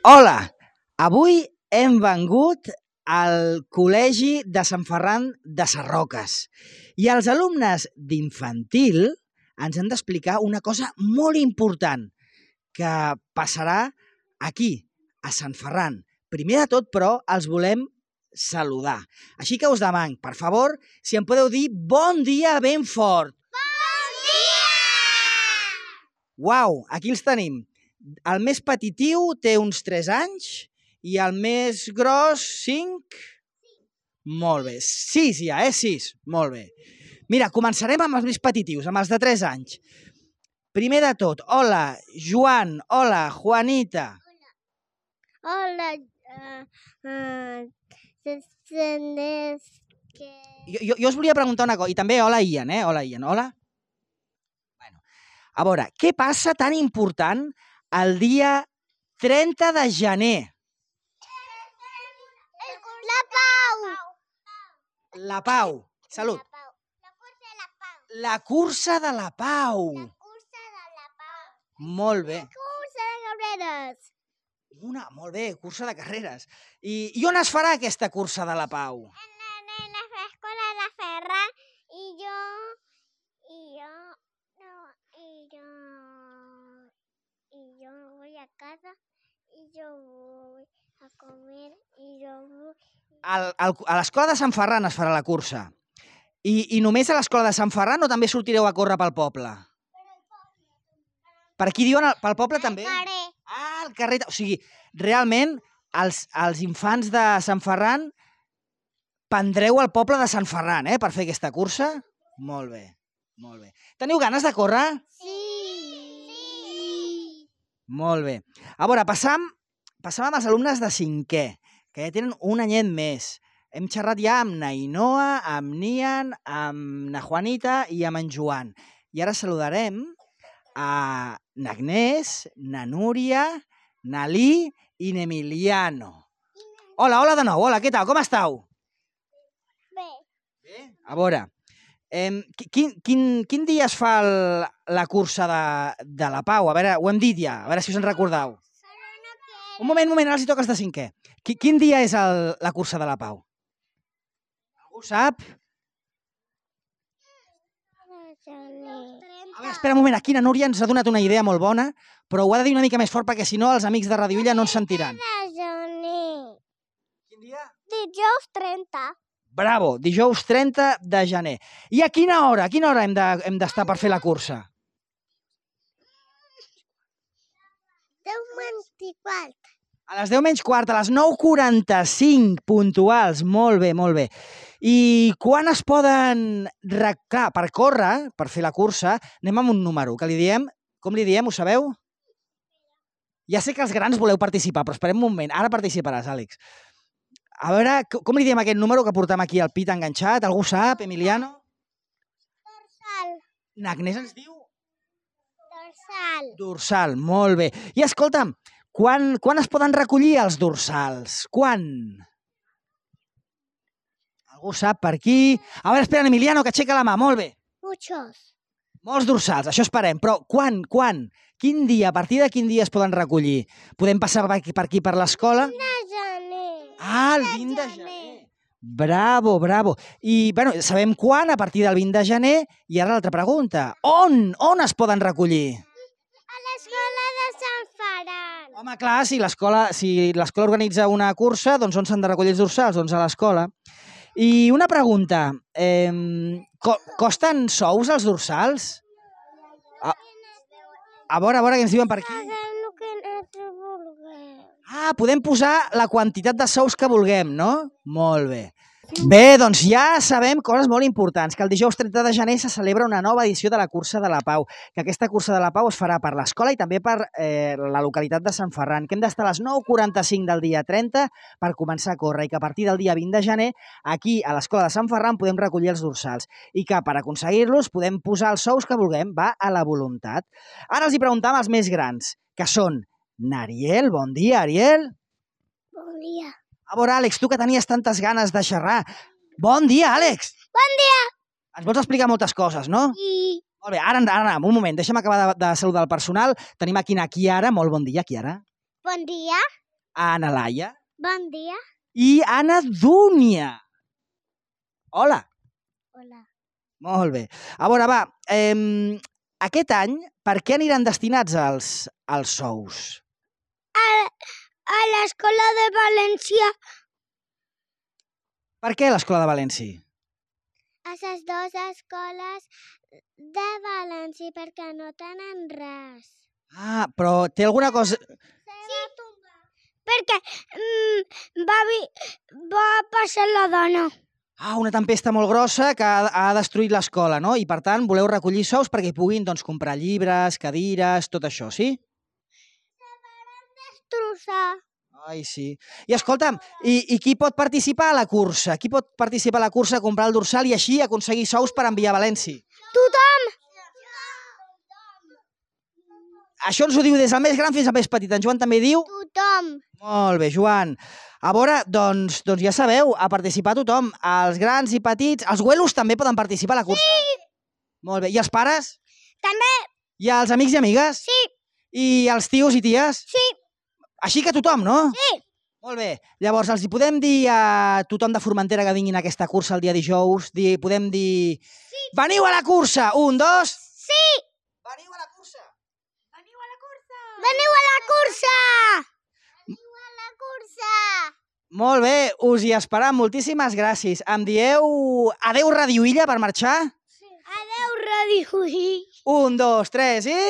Hola, avui hem vengut al Col·legi de Sant Ferran de Sarroques i els alumnes d'infantil ens han d'explicar una cosa molt important que passarà aquí, a Sant Ferran. Primer de tot, però, els volem saludar. Així que us demano, per favor, si em podeu dir bon dia ben fort. Bon dia! Uau, aquí els tenim. El més petitiu té uns 3 anys i el més gros 5? Molt bé. 6 ja, 6. Molt bé. Mira, començarem amb els més petitius, amb els de 3 anys. Primer de tot, hola, Joan, hola, Juanita. Hola, Jo us volia preguntar una cosa, i també hola, Ian, Hola, Ian, hola. Bueno, a veure, què passa tan important el dia 30 de gener? La Pau. La Pau. Salut. La cursa de la Pau. La cursa de la Pau. La cursa de la Pau. Molt bé. Cursa de carreres. Molt bé, cursa de carreres. I on es farà aquesta cursa de la Pau? En la escuela de la Ferra y yo voy a casa y yo voy a comer y yo voy... A l'escola de Sant Ferran es farà la cursa. I només a l'escola de Sant Ferran o també sortireu a córrer pel poble? Per aquí diuen pel poble també? Carrer. Ah, al carrer. O sigui, realment, els infants de Sant Ferran prendreu al poble de Sant Ferran, per fer aquesta cursa? Molt bé, molt bé. Teniu ganes de córrer? Sí. Molt bé. A veure, passam amb els alumnes de 5è, que ja tenen un anyet més. Hem xerrat ja amb na Inoa, amb Nian, amb na Juanita i amb en Joan. I ara saludarem a n'Agnès, na Núria, na Li i n'Emiliano. Hola, hola de nou. Hola, què tal? Com estàu? Bé. Bé? A veure, quin dia es fa la cursa de la Pau? A veure, ho hem dit ja, a veure si us en recordeu. Un moment, ara els hi toca els de 5è. Quin dia és la cursa de la Pau? Algú sap? A veure, espera un moment, aquí na Núria ens ha donat una idea molt bona, però ho ha de dir una mica més fort perquè si no els amics de Radio Illa no ens sentiran. Quin dia? Dijous 30. Bravo, dijous 30 de gener. I a quina hora? Hem d'estar per fer la cursa? 10:24. A les 10 menys quart, a les 9:45, puntuals. Molt bé, molt bé. I quan es poden... Clar, per córrer, per fer la cursa, anem amb un número, que li diem... Com li diem, ho sabeu? Ja sé que els grans voleu participar, però esperem un moment. Ara participaràs, Àlex. A veure, com li diem aquest número que portem aquí al pit enganxat? Algú sap, Emiliano? Dorsal. N'Agnès ens diu? Dorsal. Dorsal, molt bé. I escolta'm, quan es poden recollir els dorsals? Quan? Algú sap per aquí? A veure, espera, Emiliano, que aixeca la mà, molt bé. Muchos. Molts dorsals, això esperem, però quan? Quin dia, a partir de quin dia es poden recollir? Podem passar per aquí per l'escola? De gener. Ah, el 20 de gener. Bravo, bravo. I, bueno, sabem quan, a partir del 20 de gener, i ara l'altra pregunta. On es poden recollir? A l'escola de Sant Ferran. Home, clar, si l'escola organitza una cursa, doncs on s'han de recollir els dorsals? Doncs a l'escola. I una pregunta, costen sous els dorsals? A veure què ens diuen per aquí. Paguem el que nosaltres vulguem. Ah, podem posar la quantitat de sous que vulguem, no? Molt bé. Bé, doncs ja sabem coses molt importants, que el dijous 30 de gener se celebra una nova edició de la Cursa de la Pau, que aquesta Cursa de la Pau es farà per l'escola i també per la localitat de Sant Ferran, que hem d'estar a les 9:45 del dia 30 per començar a córrer i que a partir del dia 20 de gener aquí a l'escola de Sant Ferran podem recollir els dorsals i que per aconseguir-los podem posar els sous que vulguem, va a la voluntat. Ara els hi preguntam als més grans, que són n'Ariel, bon dia, Ariel. Bon dia. A veure, Àlex, tu que tenies tantes ganes de xerrar. Bon dia, Àlex! Bon dia. Ens vols explicar moltes coses, no? I Molt bé, ara, un moment, deixa'm acabar de saludar el personal. Tenim aquí na Chiara. Molt bon dia, Chiara. bon dia. Ana Laia Bon dia. i Anna Dúnia. Hola. Hola. Molt bé. A veure, va, aquest any, per què aniran destinats els sous? A l'Escola de València. Per què l'Escola de València? A les dues escoles de València, perquè no tenen res. Ah, però té alguna cosa... Sí, perquè va passar la dona. Ah, una tempesta molt grossa que ha destruït l'escola, no? I, per tant, voleu recollir sous perquè hi puguin doncs, comprar llibres, cadires, tot això, sí? Destrossar. Ai, sí. I escolta'm, i qui pot participar a la cursa? Qui pot participar a la cursa, comprar el dorsal i així aconseguir sous per enviar a València? Tothom. Això ens ho diu des del més gran fins al més petit. En Joan també diu... Tothom. Molt bé, Joan. A veure, doncs ja sabeu, a participar tothom. Els grans i petits... Els güelos també poden participar a la cursa? Sí! Molt bé. I els pares? També. I els amics i amigues? Sí. I els tios i ties? Sí. Així que tothom, no? Sí. Molt bé. Llavors, els hi podem dir a tothom de Formentera que vinguin a aquesta cursa el dia dijous? Podem dir... Sí. Veniu a la cursa! 1, 2... Sí. Veniu a la cursa! Veniu a la cursa! Veniu a la cursa! Veniu a la cursa! Molt bé, us hi esperam. Moltíssimes gràcies. Em dieu adeu Ràdio Illa per marxar? Sí. Adeu, Ràdio Illa. 1, 2, 3 i...